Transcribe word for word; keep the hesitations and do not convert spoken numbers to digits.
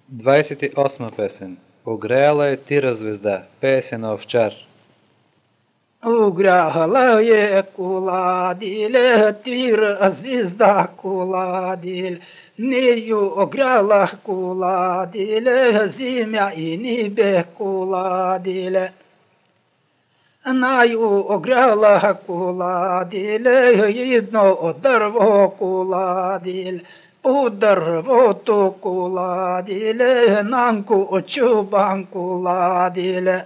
Двадесет осма песен. Огреяла е тира звезда, песен на овчар. Угряла е куладиле, тира звезда куладиле. Нею огряла куладиле, земя и небе куладиле. Наю огряла куладиле, едно дърво куладиле. По дървото куладиле, нанко чубан куладиле.